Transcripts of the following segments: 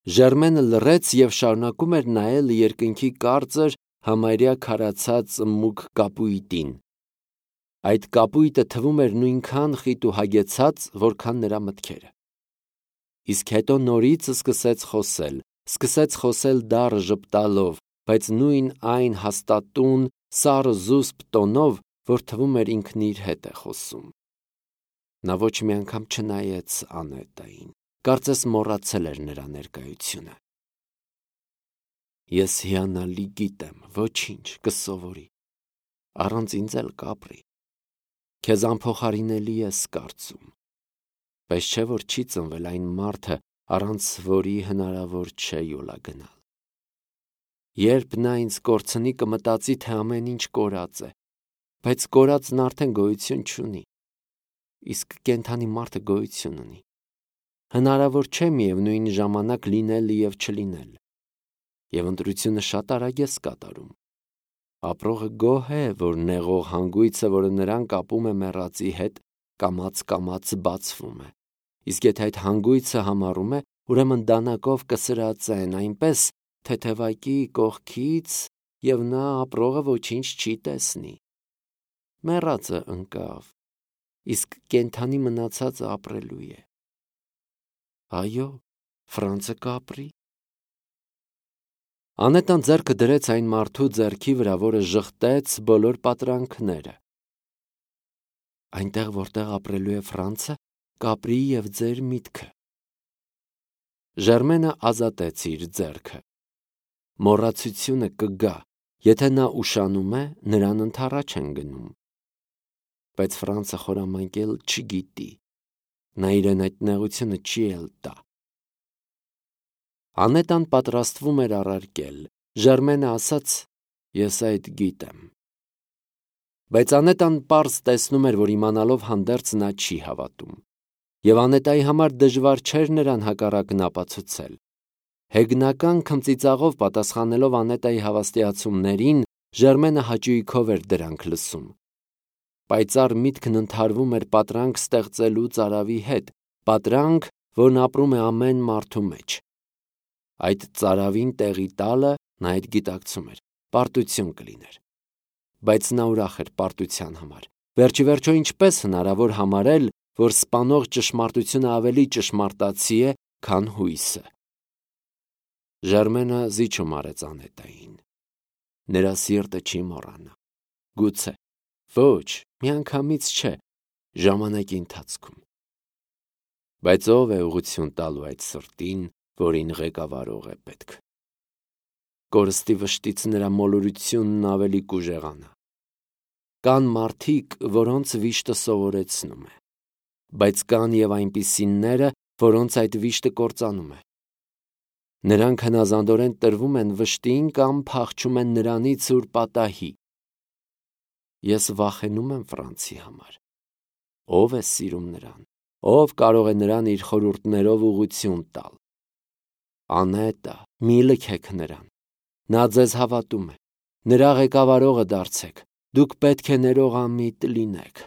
Ժերմենը լռեց և շարունակում էր նայել երկնքի կարծր, համարյա քարացած մուգ կապույտին։ Այդ կապույտը թվում էր նույնքան խիտ ու հագեցած, որքան նրա մտքերը։ Իսկ հետո նորից սկսեց խոսել դառը ժպտալով, բայց նույն այն հաստատուն, սառը զուսպ տոնով, որ թվում էր ինքն իր հետ է խոսում։ Նա ոչ մի անգամ չնայեց Անետային, կարծես մոռացել էր նրա ներկայությունը։ Ես հիանալի գիտեմ, ոչինչ, կսովորի, առանց ինձ էլ կապրի, քեզ անփոխարինելի ես կարծում, բայց չէ որ չի ծնվել այն մարդը, առանց որի հնարավոր չէ յոլա գնալ։ Երբ նա ինձ կորցնի, կմտածի, թե ամեն ինչ կորած է, բայց կորածն արդեն գոյություն չունի, իսկ կենդանի մարդը գոյություն ունի։ Հնարավոր չէ միևնույն ժամանակ լինել և չլինել, և ընտրությունը շատ արագ ես կատարում։ Ապրողը գոհ է, որ նեղող հանգույցը, որը նրան կապում է մեռածի հետ, կամաց բացվում է, իսկ եթե այդ հանգույցը համառում է, ուրեմն դանակով կսրածեն այնպես, թեթևակի կողքից, և նա ապրողը ոչինչ չի տեսնի։ Մեռածը ընկավ, իսկ կենդանի մնացածը ապրելու է։ Այո, Ֆրանցը կապրի։ Անետան ձեռքը դրեց այն մարդու ձեռքի վրա, որը ժխտեց բոլոր պատրանքները։ Այնտեղ, որտեղ ապրելու է Ֆրանցը, կապրի և ձեր միտքը։ Ժերմենը ազատեց իր ձեռքը։ Մոռացությունը կգա, եթե նա ուշանում է, նրան ընդառաջ են գնում։ Բայց Ֆրանցը խորամանկել չգիտի, նա իրեն այդ նեղությունը չի էլ տա։ Անետան պատրաստվում էր առարկել, Ժերմենը ասաց. ես այդ գիտեմ։ Բայց Անետան պարզ տեսնում էր, որ իմանալով հանդերձ նա չի հավատում, և Անետայի համար դժվար չէր նրան հակառակն ապացուցել։ Հեգնական քմծիծաղով պատասխանելով Անետայի հավաստիացումներին, Ժերմենը հաճույքով էր դրանք լսում։ Պայծառ միտքն ընդհարվում էր պատրանք ստեղծելու ծարավի հետ, պատրանք, որն ապրում է ամեն մարդու մեջ։ Այդ ծարավին տեղի տալը, նա այդ գիտակցում էր, պարտություն կլիներ։ Բայց նա ուրախ էր պարտության համար։ Վերջիվերջո ինչպես հնարավոր համարել, որ սպանող ճշմարտությունը ավելի ճշմարտացի է, քան հույսը։ Ժերմենը զիջում արեց Անետային։ Նրա սիրտը չի մոռանա։ Գուցե, ոչ, միանգամից չէ, ժամանակի ընթացքում։ Բայց ով է ուղղություն տալու այդ սրտին, որին ղեկավարող է պետք։ Կորստի վշտից նրա մոլորությունն ավելի կուժեղանա։ Կան մարդիկ, որոնց վիշտը սովորեցնում է, բայց կան և այնպիսիները, որոնց այդ վիշտը կործանում է։ Նրանք հնազանդորեն տրվում են վշտին կամ փախչում են նրանից, ուր պատահի։ Ես վախենում եմ Ֆրանցի համար։ Ով է սիրում նրան, ով կարող է նրան իր խորհուրդներով ուղղություն տալ։ Անետա, մի լքեք նրան, նա ձեզ հավատում է, նրա ղեկավարողը դարձեք, դուք պետք է ներողամիտ լինեք։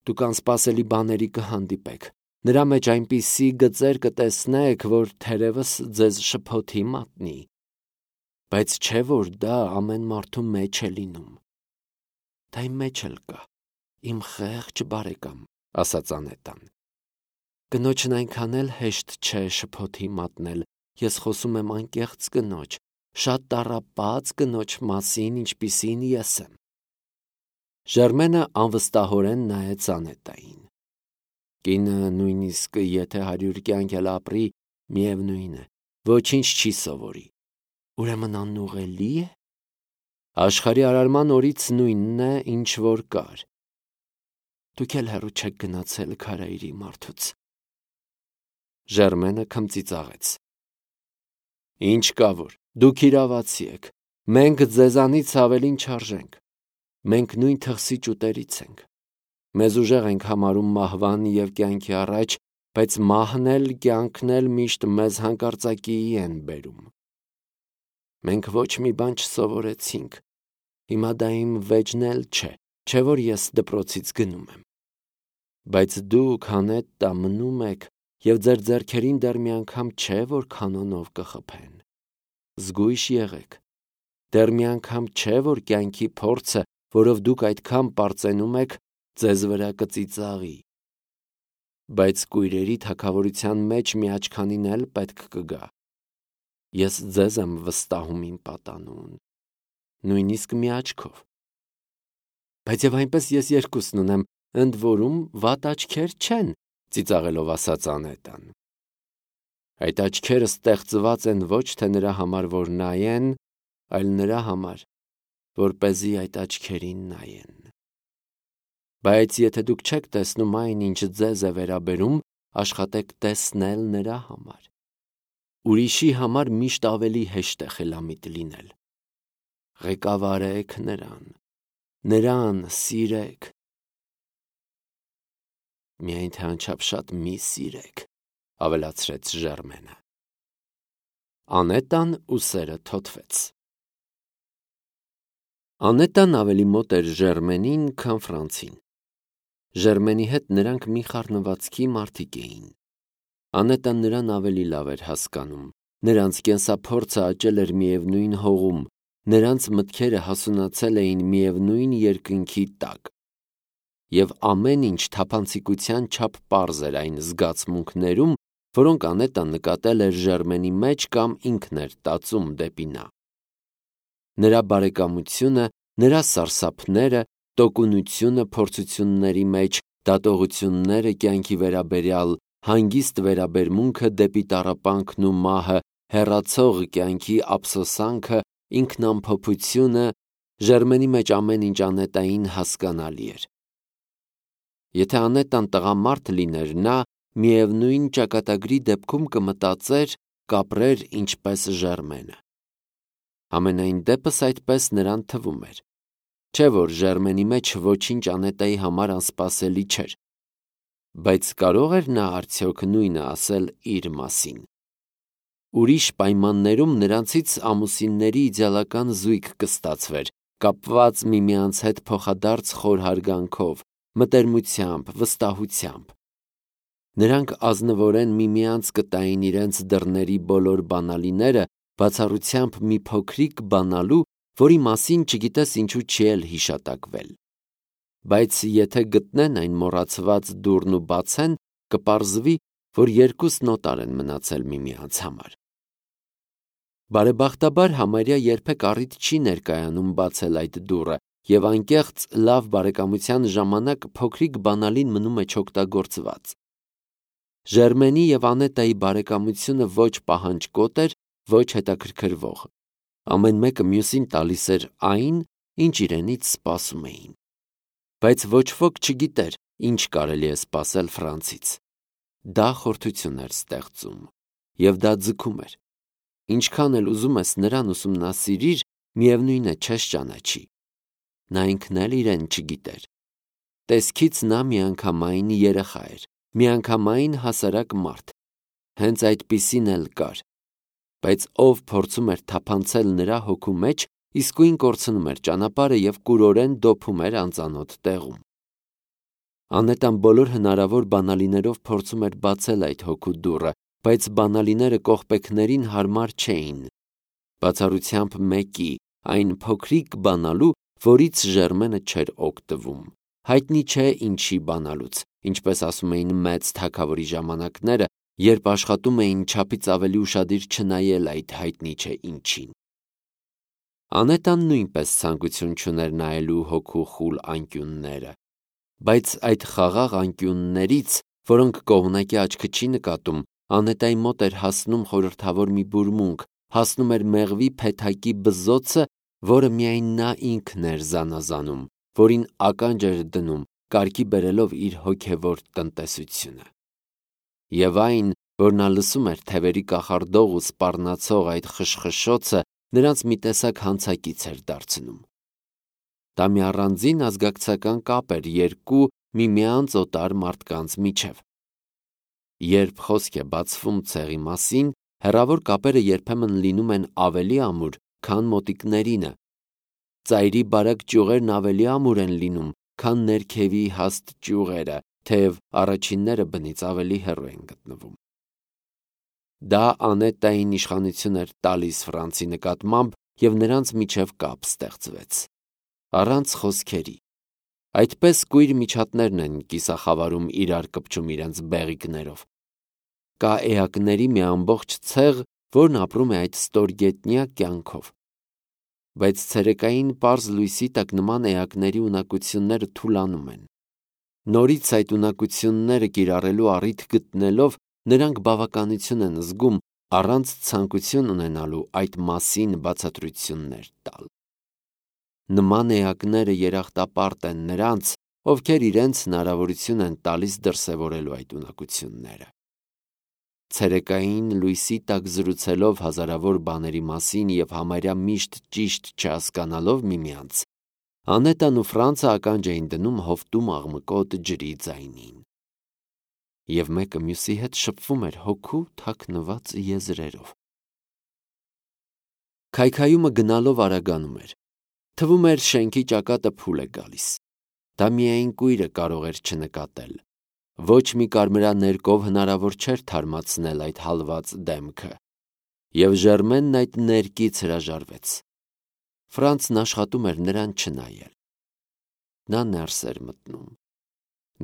Դուք անսպասելի բաների կհանդիպեք, նրա մեջ այնպիսի գծեր կտեսնեք, որ թերևս ձեզ շփոթի մատնի, բայց չէ որ դա ամեն մարդու մեջ է լինում։ Դա իմ մեջ էլ կա, իմ խեղճ բարեկամ, ասաց Անետան։ Կնոջն այնքան էլ հեշտ չէ շփոթի մատնել, ես խոսում եմ անկեղծ կնոջ, շատ տառապած կնոջ մասին, ինչպիսին ես եմ։ Ժերմենը անվստահորեն նայեց Անետային։ Կինը նույնիսկ եթե 100 կյանք էլ ապրի, միևնույն է, ոչինչ չի սովորի։ Ուրեմն անուղելի է։ Աշխարհի արարման օրից նույնն է, ինչ որ կար։ Դուք էլ հեռու չեք գնացել քարայրի մարդուց։ Ժերմենը քմծիծաղեց։ Ինչ կա որ, դուք իրավացի եք, մենք ձեզանից ավելին չարժենք, մենք նույն թխսի ճուտերից ենք, մեզ ուժեղ ենք համարում մահվան և կյանքի առաջ, բայց մահն էլ կյանքն էլ միշտ մեզ հանկարծակիի են բերում։ Մենք ոչ մի բան չսովորեցինք, հիմա դա իմ վեճն էլ չէ որ ես դպրոցից գնում եմ։ Բայց դուք Անետա մնում եք և ձեր ձեռքերին դեռ մի անգամ չէ, որ քանոնով կխփեն։ Զգույշ եղեք, դեռ մի անգամ չէ, որ կյանքի փորձը, որով դուք այդքան պարծենում եք, ձեզ վրա կծիծաղի։ Բայց կույրերի թագավորության մեջ մի աչքանին էլ պետք կգա։ Ես ձեզ եմ վստահում իմ պատանուն, նույնիսկ մի աչքով։ Բայց եւ այնպես ես երկուսն ունեմ, ընդ որում վատ աչքեր չեն, ծիծաղելով ասաց Անետան։ Այդ աչքերը ստեղծված են ոչ թե նրա համար, որ նայեն, այլ նրա համար, որպեսզի այդ աչքերին նայեն։ Բայց եթե դուք չեք տեսնում այն, ինչ ձեզ է վերաբերում, աշխատեք տեսնել նրա համար։ Ուրիշի համար միշտ ավելի հեշտ է խելամիտ լինել։ Ղեկավարեք նրան սիրեք։ Միայն թե անչափ մի սիրեք, ավելացրեց Ժերմենը։ Անետան ու սերը թոթվեց։ Անետան ավելի մոտ էր Ժերմենին, քան Ֆրանցին։ Ժերմենի հետ նրանք մի խառնվածքի մարդիկ էին։ Անետան նրան ավելի լավ էր հասկանում, նրանց կենսափորձը աճել էր միևնույն հողում, նրանց մտքերը հասունացել էին միևնույն երկնքի տակ։ Եվ ամեն ինչ թափանցիկության չափ պարզ էր այն զգացմունքներում, որոնք Անետան նկատել էր Ժերմենի մեջ կամ ինքն էր տածում դեպի նա։ Նրա բարեկամությունը, նրա սարսափները, տոկունությունը փորձությունների մեջ, դատողությունները կյանքի վերաբերյալ, հանգիստ վերաբերմունքը դեպի տառապանքն ու մահը, հեռացող կյանքի ափսոսանքը, ինքնամփոփությունը, Ժերմենի մեջ ամեն ինչ Անետային հասկանալի էր։ Եթե Անետան տղամարդ լիներ, նա միևնույն ճակատագրի դեպքում կմտածեր, կապրեր ինչպես Ժերմենը։ Համենայն դեպս այդպես նրան թվում էր։ Չէ՞ որ Ժերմենի մեջ ոչինչ Անետայի համար անսպասելի չէր։ Բայց կարող էր նա արդյոք նույնը ասել իր մասին։ Ուրիշ պայմաններում նրանցից ամուսինների իդեալական զույգ կստացվեր, կապված միմյանց հետ փոխադարձ խոր հարգանքով, մտերմությամբ, վստահությամբ։ Նրանք ազնվորեն միմյանց կտային իրենց դռների բոլոր բանալիները, բացառությամբ մի փոքրիկ բանալու, որի մասին չգիտես ինչու չի էլ հիշատակվել։ Բայց եթե գտնեն այն մոռացված դուռն ու բացեն, կպարզվի, որ երկուսն օտար են մնացել միմյանց համար։ Բարեբախտաբար համարյա երբեք առիթ չի ներկայանում բացել այդ դուռը, և անկեղծ լավ բարեկամության ժամանակ փոքրիկ բանալին մնում է չօգտագործված։ Ժերմենի և Անետայի բարեկամությունը ոչ պահանջկոտ էր, ոչ հետաքրքրվող։ Ամեն մեկը մյուսին տալիս էր այն, ինչ իրենից սպասում էին։ Բայց ոչ ոք չգիտեր, ինչ կարելի է սպասել Ֆրանցից։ Դա խորթություն էր ստեղծում, և դա ձգում էր։ Ինչքան էլ ուզում ես նրան ուսումնասիրիր, միևնույն է չես ճանաչի։ Նա ինքն էլ իրեն չգիտեր։ Տեսքից նա միանգամայն երեխա էր, միանգամայն հասարակ մարդ։ Հենց այդպիսին էլ կար։ Բայց ով փորձում էր թափանցել նրա հոգու մեջ, իսկույն կորցնում էր ճանապարհը և կուրորեն դոփում էր անծանոթ տեղում։ Անետան բոլոր հնարավոր բանալիներով փորձում էր բացել այդ հոգու դուռը, բայց բանալիները կողպեքներին հարմար չէին։ Բացառությամբ մեկի, այն փոքրիկ բանալու, որից Ժերմենը չէր օգտվում։ Հայտնի չէ ինչի բանալուց, ինչպես ասում էին մեծ թագավորի ժամանակները, երբ աշխատում էին չափից ավելի ուշադիր չնայել այդ հայտնի չէ ինչին։ Անետան նույնպես ցանկություն չուներ նայելու հոգու խուլ անկյունները, բայց այդ խաղաղ անկյուններից, որոնք կողմնակի աչքը չի նկատում, Անետայի մոտ էր հասնում խորհրդավոր մի բուրմունք, հասնում էր մեղվի փեթակի բզոցը, որը միայն նա ինքն էր զանազանում, որին ականջ էր դնում, կարգի բերելով իր հոգևոր տնտեսությունը։ Եվ այն, որ նա լսում էր թևերի կախարդող ու սպառնացող այդ խշխշոցը, նրանց մի տեսակ հանցակից էր դարձնում։ Դա մի առանձին ազգակցական կապ էր երկու միմյանց օտար մարդկանց միջև։ Երբ խոսք է բացվում ցեղի մասին, հեռավոր կապերը երբեմն լինում են ավելի ամուր, քան մոտիկներինը։ Ծայրի բարակ ճյուղերն ավելի ամուր են լինում, քան ներքևի հաստ ճյուղերը, թեև առաջինները բնից ավելի հեռու են գտնվում։ Դա Անետային իշխանություն էր տալիս Ֆրանսի նկատմամբ և նրանց միջև կապ ստեղծվեց։ Առանց խոսքերի։ Այդպես կույր միջատներն են կիսախավարում իրար կպչում իրենց բեղիկներով։ Կա էակների մի ամբողջ ցեղ, որն ապրում է այդ ստորգետնյա կյանքով։ Բայց ցերեկային պարզ լույսի տակ նման էակների ունակությունները թուլանում են։ Նորից այդ ունակությունները կիրառելու առիթ գտնելով նրանք բավականություն են զգում առանց ցանկություն ունենալու այդ մասին բացատրություններ տալ։ Նման էակները երախտապարտ են նրանց, ովքեր իրենց հնարավորություն են տալիս դրսևորելու այդ ունակությունները։ Ցերեկային լույսի տակ զրուցելով հազարավոր բաների մասին և համարյա միշտ ճիշտ չհասկանալով միմյանց, Անետան ու Ֆրանցը ականջ էին դնում հովտում աղմկոտ ջրի ձայնին։ Եվ մեկը մյուսի հետ շփվում էր հոգու թաքնված եզրերով։ Քայքայումը գնալով արագանում էր։ Թվում էր շենքի ճակատը փուլ է գալիս։ Դա միայն կույրը կարող էր չնկատել։ Ոչ մի կարմրաներկով հնարավոր չէր թարմացնել այդ հալված դեմքը։ Եվ Ժերմենն այդ ներկից հրաժարվեց։ Ֆրանցն աշխատում էր նրան չնայել։ Նա ներս էր մտնում։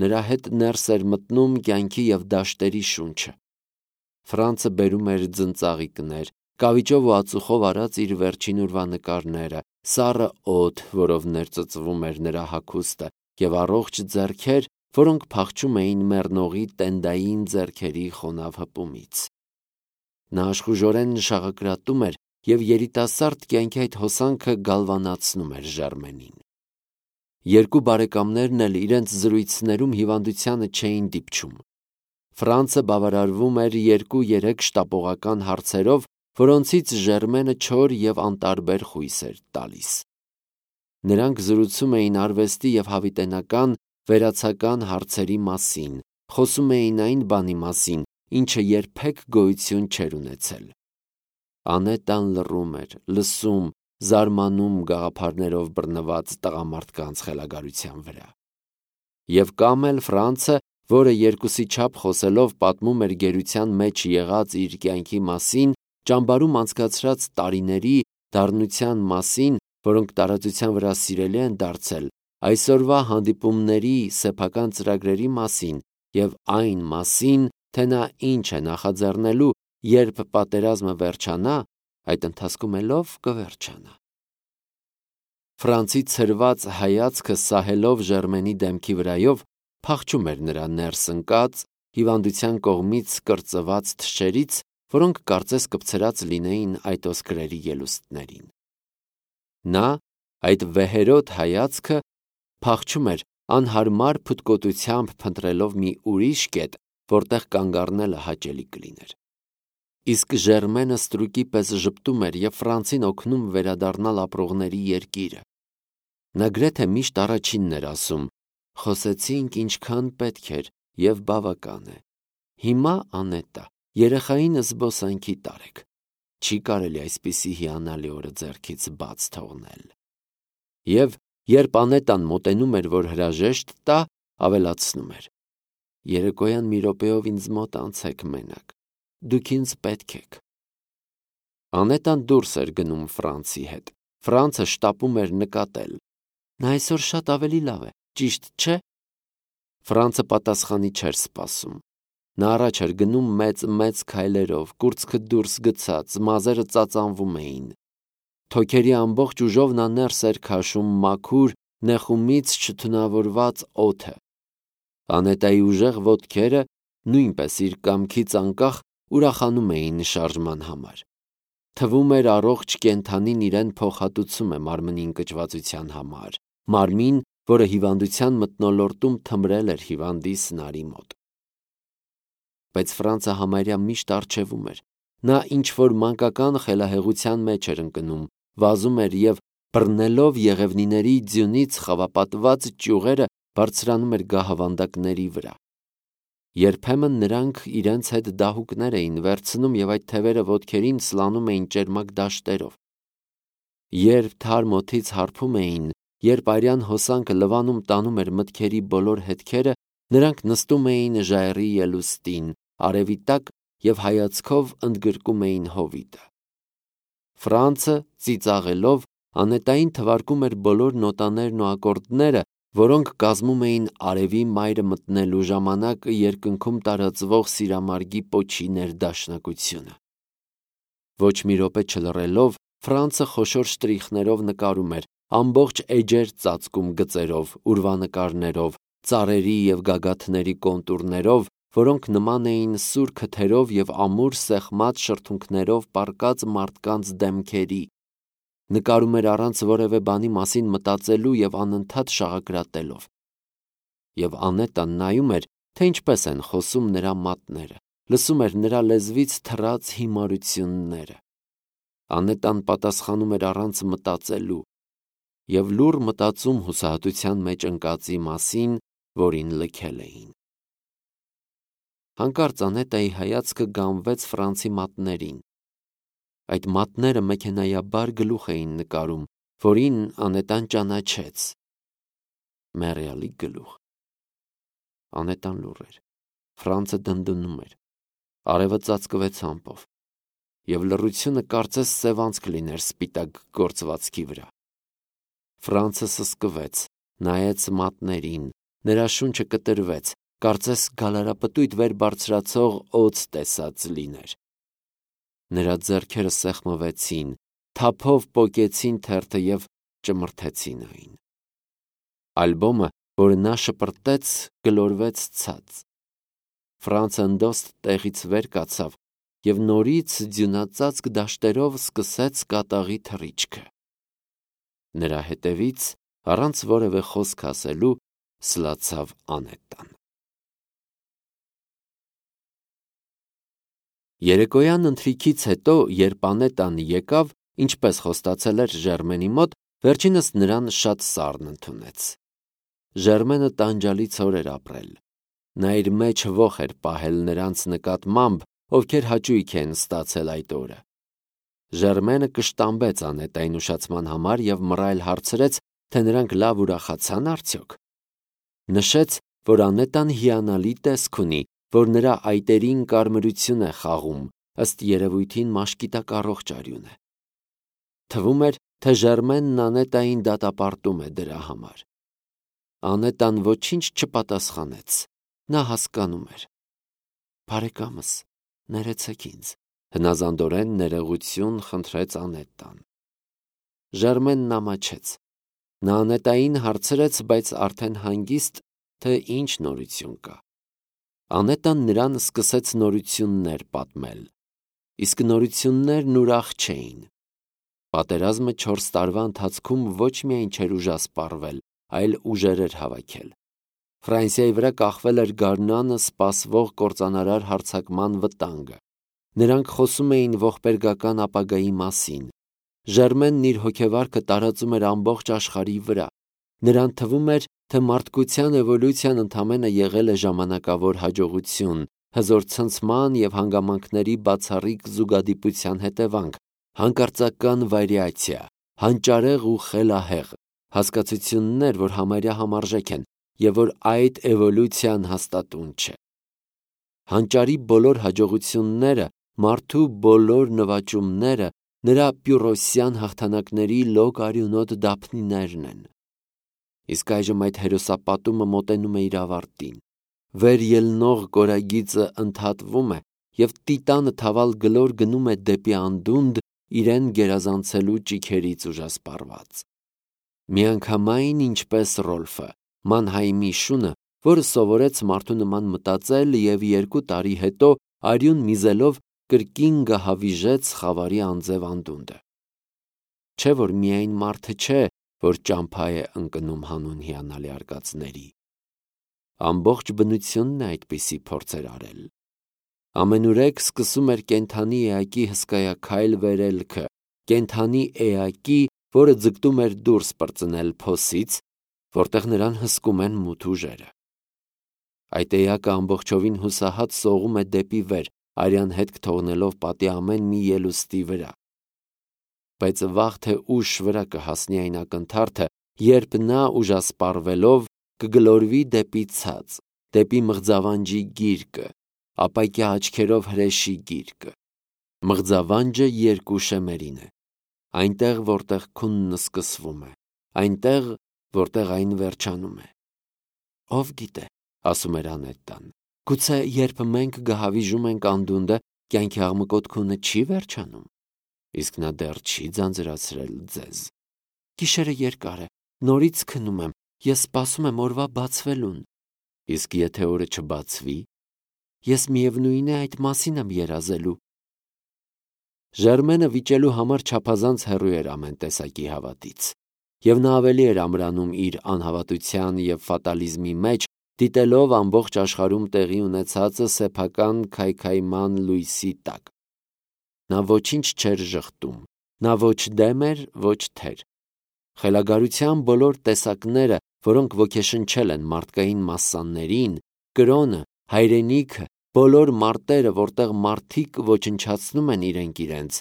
Նրա հետ ներս էր մտնում կյանքի և դաշտերի շունչը։ Ֆրանցը բերում էր ձնծաղիկներ, կավիճով ու ածուխով արած իր վերջին օրվա նկարները, սառը օդ, որով ներծծվում էր նրա հագուստը, և առողջ ձեռքեր, որոնք փախչում էին մեռնողի տենդային ձեռքերի խոնավ հպումից։ Նա աշխուժորեն շաղակրատում էր և երիտասարդ կյանքի այդ հոսանքը գալվանացնում էր Ժերմենին։ Երկու բարեկամներն էլ իրենց զրույցներում հիվանդությանը չէին դիպչում։ Ֆրանցը բավարարվում էր 2-3 շտապողական հարցերով, որոնցից Ժերմենը չոր և անտարբեր խույս էր տալիս։ Նրանք զրուցում էին արվեստի և հավիտենական, վերացական հարցերի մասին, խոսում էին այն բանի մասին, ինչը երբեք գոյություն չէր ունեցել։ Անետան լռում էր, լսում, զարմանում գաղափարներով բռնված տղամարդկանց խելագարության վրա։ Եվ կամ էլ Ֆրանցը, որը երկուսի չափ խոսելով պատմում էր գերության մեջ եղած իր կյանքի մասին, ճամբարում անցկացրած տարիների, դառնության մասին, որոնք տարածության վրա սիրելի են դարձել, այսօրվա հանդիպումների, սեփական ծրագրերի մասին և այն մասին, թե նա ինչ է նախաձեռնելու, երբ պատերազմը վերջանա, այդ ընթացքում էլով կվերջանա։ Ֆրանցի ցրված հայացքը սահելով Ժերմենի դեմքի վրայով փախչում էր նրա ներս ընկած, հիվանդության կողմից կրծված թշերից, որոնք կարծես կպցրած լինեին այդ ոսկրերի ելուստներին։ Նա, այդ վեհերոտ հայացքը, փախչում էր անհարմար փութկոտությամբ փնտրելով մի ուրիշ կետ, որտեղ կանգ առնելը հաճելի կլիներ։ Իսկ Ժերմենը ստրուկի պես ժպտում էր և Ֆրանցին օգնում վերադառնալ ապրողների երկիրը։ Նա գրեթե միշտ առաջինն էր ասում. «Խոսեցինք ինչքան պետք էր և բավական է։ Հիմա, Անետա, երեխային զբոսանքի տարեք։ Չի կարելի այսպիսի հիանալի օրը ձեռքից բաց թողնել»։ Եվ երբ Անետան մոտենում էր, որ հրաժեշտ տա, ավելացնում էր. «Երեկոյան մի րոպեով ինձ մոտ անցեք մենակ։ Դուք ինձ պետք եք»։ Անետան դուրս էր գնում Ֆրանցի հետ։ Ֆրանցը շտապում էր նկատել. «Նա այսօր շատ ավելի լավ է, ճիշտ չէ»։ Ֆրանցը պատասխանի չէր սպասում։ Նա առաջ էր գնում մեծ քայլերով, կուրծքը դուրս գցած, մազերը ծածանվում էին։ Թոքերի ամբողջ ուժով նա ներս էր քաշում մաքուր, նեղումից չթունավորված օդը։ Անետայի ուժեղ ոտքերը, նույնպես իր կամքից անկախ, ուրախանում էին շարժման համար։ Թվում էր առողջ կենդանին իրեն փոխհատուցում է մարմնի ընկճվածության համար, մարմին, որը հիվանդության մթնոլորտում թմրել էր հիվանդի սնարի մոտ։ Բայց Ֆրանցը համարյա միշտ առջևում էր։ Նա ինչ-որ մանկական խելահեղության մեջ էր ընկնում, վազում էր և, բռնելով եղևնիների ձյունից խավապատված ճյուղերը, բարձրանում էր գահավանդակների վրա։ Երբեմն նրանք իրենց հետ դահուկներ էին վերցնում և այդ թևերը ոտքերին սլանում էին ճերմակ դաշտերով։ Երբ թարմ օդից հարբում էին, երբ արյան հոսանքը լվանում տանում էր մտքերի բոլոր հետքերը, նրանք նստում էին ժայռի ելուստին, արևի տակ և հայացքով ընդգրկում էին հովիտը։ Ֆրանցը ծիծաղելով անետային թվարկում էր բոլոր նոտաներն ու ակորդները, որոնք կազմում էին արևի մայրը մտնելու ժամանակ երկնքում տարածվող սիրամարգի պոչի ներդաշնակությունը։ Ոչ մի րոպե չլռելով, Ֆրանցը խոշոր շտրիխներով նկարում էր, ամբողջ էջեր ծածկում գծերով, ուրվանկարներով, ծառերի և գագաթների կոնտուրներով, որոնք նման էին սուր քթերով և ամուր սեղմած շրթունքներով պառկած մարդկանց դեմքերի, նկարում էր առանց որևէ բանի մասին մտածելու և անընդհատ շաղակրատելով։ Եվ Անետան նայում էր, թե ինչպես են խոսում նրա մատները, լսում էր նրա լեզվից թռած հիմարությունները։ Անետան պատասխանում էր առանց մտածելու և լուռ մտածում հուսահատության մեջ ընկածի մասին, որին լքել էին։ Հանկարծ Անետայի հայացքը գանվեց Ֆրանցի մատներին։ Այդ մատները մեքենայաբար գլուխ էին նկարում, որին Անետան ճանաչեց։ Մեռյալի գլուխ։ Անետան լուռ էր։ Ֆրանցը դնդնում էր։ Արևը ծածկվեց ամպով, և լռությունը կարծես սևանցք լիներ սպիտակ գործվածքի վրա։ Ֆրանցը սսկվեց, նայեց մատներին, նրա շունչը կտրվեց, կարծես գալարապտույտ վեր բարձրացող օձ տեսած լիներ։ Նրա ձեռքերը սեղմվեցին, թափով պոկեցին թերթը և ճմրթեցին այն։ Ալբոմը, որը նա շպրտեց, գլորվեց ցած։ Ֆրանցը ընդոստ տեղից վեր կացավ և նորից ձյունածածկ դաշտերով սկսեց կատաղի թռիչքը։ Նրա հետևից, առանց որևէ խոսք ասելու, սլացավ Անետան։ Երեկոյան ընթրիքից հետո, երբ Անետան եկավ, ինչպես խոստացել էր Ժերմենի մոտ, վերջինս նրան շատ սառն ընդունեց։ Ժերմենը տանջալից օր էր ապրել։ Նա իր մեջ ոխ էր պահել նրանց նկատմամբ, ովքեր հաճույք են ստացել այդ օրը։ Ժերմենը կշտամբեց Անետային ուշացման համար և մռայլ հարցրեց, թե նրանք լավ ուրախացան արդյոք։ Նշեց, որ Անետան հիանալի տեսք ունի, որ նրա այտերին կարմրություն է խաղում, ըստ երևույթին մաշկիտակ առողջ արյուն է։ Թվում էր, թե Ժերմենն Անետային դատապարտում է դրա համար։ Անետան ոչինչ չպատասխանեց։ Նա հասկանում էր։ Բարեկամս, ներեցեք ինձ, հնազանդորեն ներողություն խնդրեց Անետան։ Ժերմենն ամաչեց։ Նա Անետային հարցրեց, բայց արդեն հանգիստ, թե ինչ նորություն կա։ Անետան նրան սկսեց նորություններ պատմել, իսկ նորություններն ուրախ չէին։ Պատերազմը 4 տարվա ընթացքում ոչ միայն չէր ուժասպառվել, այլ ուժեր էր հավաքել։ Ֆրանսիայի վրա կախվել էր գարնանը սպասվող կործանարար հարձակման վտանգը։ Նրանք խոսում էին ողբերգական ապագայի մասին։ Ժերմենն իր հոգեվարքը տարածում էր ամբողջ աշխարհի վրա։ Նրան թվում էր, թե մարդկության էվոլյուցիան ընդամենը եղել է ժամանակավոր հաջողություն, հզոր ցնցման և հանգամանքների բացառիկ զուգադիպության հետևանք, հանկարծական վարիացիա, հանճարեղ ու խելահեղ, հասկացություններ, որ համարյա համարժեք են, և որ այդ էվոլյուցիան հաստատուն չէ։ Հանճարի բոլոր հաջողությունները, մարդու բոլոր նվաճումները նրա պյուրոսյան հաղթանակների լոկ արյունոտ դափնիներն են։ Իսկ այժմ այդ հերոսապատումը մոտենում է իր ավարտին։ Վեր ելնող կորագիծը ընդհատվում է, և տիտանը թավալ գլոր գնում է դեպի անդունդ իրեն գերազանցելու ճիգերից ուժասպառված։ Միանգամայն ինչպես Ռոլֆը, Մանհայմի շունը, որը սովորեց մարդու նման մտածել և 2 տարի հետո արյուն միզելով կրկին գահավիժեց խավարի անձև անդունդը։ Չէ՞ որ միայն մարդը չէ, որ ճամփա է ընկնում հանուն հիանալի արկածների։ Ամբողջ բնությունն է այդպիսի փորձեր արել։ Ամենուրեք սկսում էր կենդանի էակի հսկայաքայլ վերելքը, կենդանի էակի, որը ձգտում էր դուրս պրծնել փոսից, որտեղ նրան հսկում են մութ ուժերը։ Այդ էակը ամբողջովին հուսահատ սողում է դեպի վեր, արյան հետք թողնելով պատի ամեն մի ելուստի վրա։ Բայց վաղ թե ուշ վրա կհասնի այն ակնթարթը, երբ նա ուժասպառվելով կգլորվի դեպի ցած, դեպի մղձավանջի գիրկը, ապակյա աչքերով հրեշի գիրկը։ Մղձավանջը երկու շեմերին է, այնտեղ, որտեղ քունն սկսվում է, այնտեղ, որտեղ այն վերջանում է։ Ով գիտե, ասում էր Անետան, գուցե երբ մենք գահավիժում ենք անդունդը, կյանքի աղմկոտ քունը չի վերջանում, իսկ նա դեռ չի ձանձրացրել ձեզ։ Գիշերը երկար է, նորից քնում եմ, ես սպասում եմ օրվա բացվելուն, իսկ եթե օրը չբացվի, ես միևնույն է այդ մասին եմ երազելու։ Ժերմենը վիճելու համար չափազանց հեռու էր ամեն տեսակի հավատից, և նա ավելի էր ամրանում իր անհավատության և ֆատալիզմի մեջ, դիտելով ամբողջ աշխարհում տեղի ունեցածը սեփական քայքայման լույսի տակ։ Նա ոչինչ չէր ժխտում, նա ոչ դեմ էր, ոչ թեր։ Խելագարության բոլոր տեսակները, որոնք ոգեշնչել են մարդկային մասսաներին, կրոնը, հայրենիքը, բոլոր մարտերը, որտեղ մարդիկ ոչնչացնում են իրենք իրենց,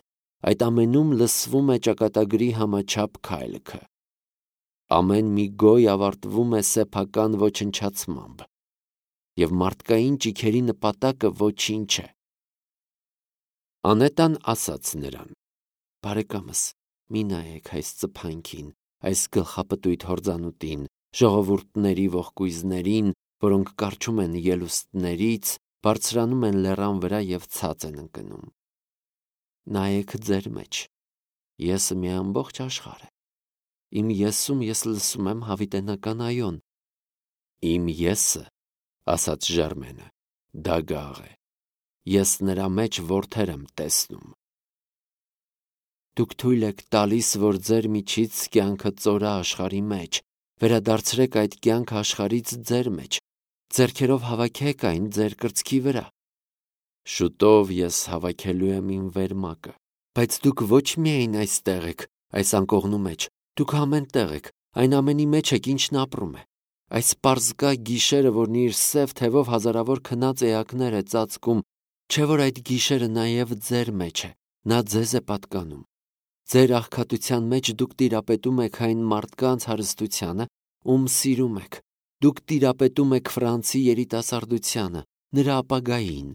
այդ ամենում լսվում է ճակատագրի համաչափ քայլքը։ Ամեն մի գոյ ավարտվում է սեփական ոչնչացմամբ, և մարդկային ճիգերի նպատակը ոչինչ է։ Անետան ասաց նրան. «Բարեկամս, մի նայեք այս ծփանքին, այս գլխապտույտ հորձանուտին, ժողովուրդների ողկույզներին, որոնք կառչում են ելուստներից, բարձրանում են լեռան վրա և ցած են ընկնում։ Նայեք ձեր մեջ, եսը մի ամբողջ աշխարհ է։ Իմ եսում ես լսում եմ հավիտենական այոն։ Իմ եսը, ասաց Ժերմենը, դագաղ է, ես նրա մեջ որդեր եմ տեսնում։ Դուք թույլ եք տալիս, որ ձեր միջից կյանքը ծորա աշխարհի մեջ, վերադարձրեք այդ կյանքը աշխարհից ձեր մեջ, ձեռքերով հավաքեք այն ձեր կրծքի վրա։ Շուտով ես հավաքելու եմ իմ վերմակը, բայց դուք ոչ միայն այստեղ եք, այս անկողնու մեջ, դուք ամեն տեղ եք, այն ամենի մեջ եք, ինչն ապրում է։ Այս պարզկա գիշերը, որն իր սև թևով հազարավոր քնած էակներ է ծածկում, չէ՞ որ այդ գիշերը նաև ձեր մեջ է, նա ձեզ է պատկանում։ Ձեր աղքատության մեջ դուք տիրապետում եք այն մարդկանց հարստությանը, ում սիրում եք, դուք տիրապետում եք Ֆրանսի երիտասարդությանը, նրա ապագային,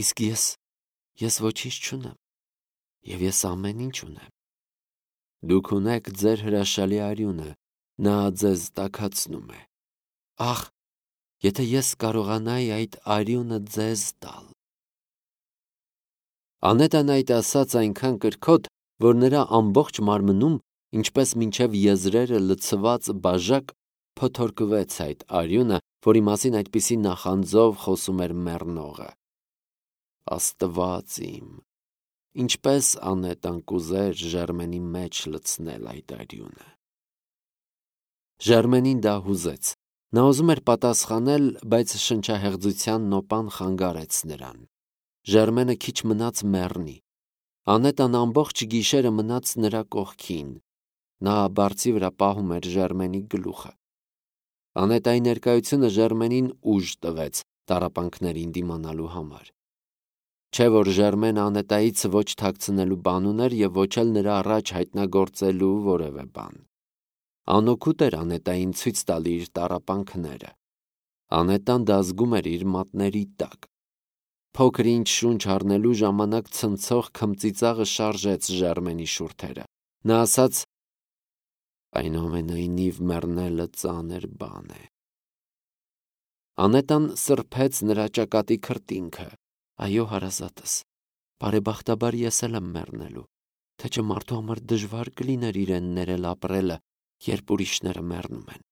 իսկ ես ոչինչ չունեմ, և ես ամեն ինչ ունեմ։ Դուք ունեք ձեր հրաշալի արյունը, նա ձեզ տաքացնում է։ Ախ, եթե ես կարողանայի այդ արյունը ձեզ տալ։ Անետան այդ ասաց այնքան կրքոտ, որ նրա ամբողջ մարմնում, ինչպես մինչև եզրերը լցված բաժակ, փոթորկվեց այդ արյունը, որի մասին այդպիսի նախանձով խոսում էր մեռնողը։ Աստված իմ, ինչպես Անետան կուզեր Ժերմենի մեջ լցնել այդ արյունը։ Ժերմենին դա հուզեց։ Նա ուզում էր պատասխանել, բայց շնչահեղձության նոպան խանգարեց նրան։ Ժերմենը քիչ մնաց մեռնի։ Անետան ամբողջ գիշերը մնաց նրա կողքին։ Նա բարձի վրա պահում էր Ժերմենի գլուխը։ Անետայի ներկայությունը Ժերմենին ուժ տվեց տառապանքներին դիմանալու համար։ Չէ՞ որ Ժերմենը Անետայից ոչ թաքցնելու բան ուներ և ոչ էլ նրա առաջ հայտնագործելու որևէ բան։ Անօգուտ էր Անետային ցույց տալ իր տառապանքները։ Անետան դա զգում էր իր մատների տակ։ Փոքր-ինչ շունչ առնելու ժամանակ ցնցող քմծիծաղը շարժեց Ժերմենի շուրթերը։ Նա ասաց. այնուամենայնիվ մեռնելը ծանր բան է։ Անետան սրբեց նրա ճակատի քրտինքը։ Այո, հարազատս, բարեբախտաբար ես էլ եմ մեռնելու, թե չէ մարդու համար դժվար կլիներ իրեն ներել ապրելը, երբ ուրիշները մեռնում են։